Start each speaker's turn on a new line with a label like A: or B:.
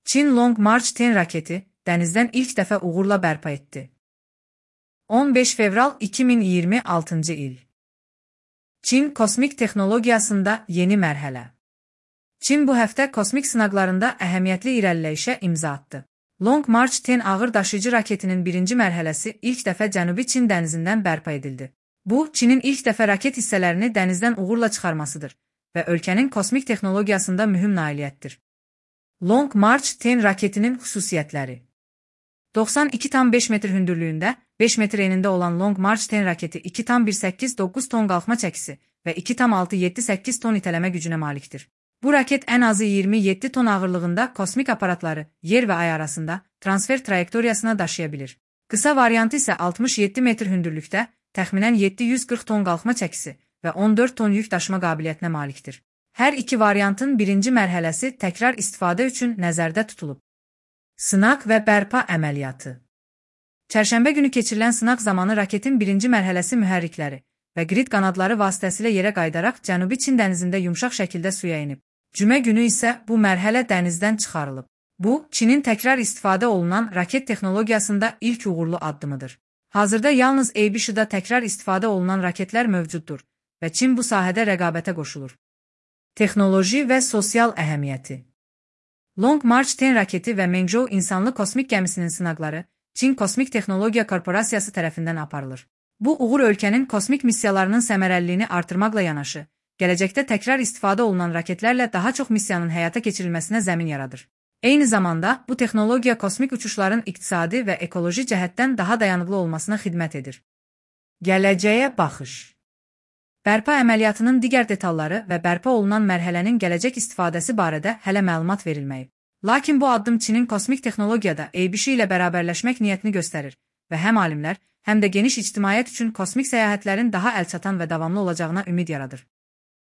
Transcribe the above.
A: Çin Long March 10 raketi dənizdən ilk dəfə uğurla bərpa etdi. 15 fevral 2026 il. Çin kosmik texnologiyasında yeni mərhələ. Çin bu həftə kosmik sınaqlarında əhəmiyyətli irəliləyişə imza atdı. Long March 10 ağır daşıyıcı raketinin birinci mərhələsi ilk dəfə Cənubi Çin dənizindən bərpa edildi. Bu, Çinin ilk dəfə raket hissələrini dənizdən uğurla çıxarmasıdır və ölkənin kosmik texnologiyasında mühüm nailiyyətdir. Long March 10 raketinin xüsusiyyətləri. 92,5 metr hündürlüyündə, 5 metr enində olan Long March 10 raketi 2,189 ton qalxma çəkisi və 2,678 ton itələmə gücünə malikdir. Bu raket ən azı 27 ton ağırlığında kosmik aparatları yer və ay arasında transfer trayektoriyasına daşıya bilir. Qısa variantı isə 67 metr hündürlükdə, təxminən 740 ton qalxma çəkisi və 14 ton yük daşıma qabiliyyətinə malikdir. Hər iki variantın birinci mərhələsi təkrar istifadə üçün nəzərdə tutulub. Sınaq və bərpa əməliyyatı. Çərşənbə günü keçirilən sınaq zamanı raketin birinci mərhələsi mühərrikləri və qrid qanadları vasitəsilə yerə qayıdaraq Cənubi Çin dənizində yumşaq şəkildə suya inib. Cümə günü isə bu mərhələ dənizdən çıxarılıb. Bu, Çinin təkrar istifadə olunan raket texnologiyasında ilk uğurlu addımıdır. Hazırda yalnız ABC-da təkrar istifadə olunan raketlər mövcuddur və Çin bu sahədə rəqabətə qoşulur. Texnoloji və sosial əhəmiyyəti. Long March 10 raketi və Mengzhou insanlı kosmik gəmisinin sınaqları Çin Kosmik Texnologiya Korporasiyası tərəfindən aparılır. Bu uğur ölkənin kosmik missiyalarının səmərəliliyini artırmaqla yanaşı, gələcəkdə təkrar istifadə olunan raketlərlə daha çox missiyanın həyata keçirilməsinə zəmin yaradır. Eyni zamanda, bu texnologiya kosmik uçuşların iqtisadi və ekoloji cəhətdən daha dayanıqlı olmasına xidmət edir. Gələcəyə baxış. Bərpa əməliyyatının digər detalları və bərpa olunan mərhələnin gələcək istifadəsi barədə hələ məlumat verilməyib. Lakin bu addım Çinin kosmik texnologiyada ABC ilə bərabərləşmək niyyətini göstərir və həm alimlər, həm də geniş ictimaiyyət üçün kosmik səyahətlərin daha əlçatan və davamlı olacağına ümid yaradır.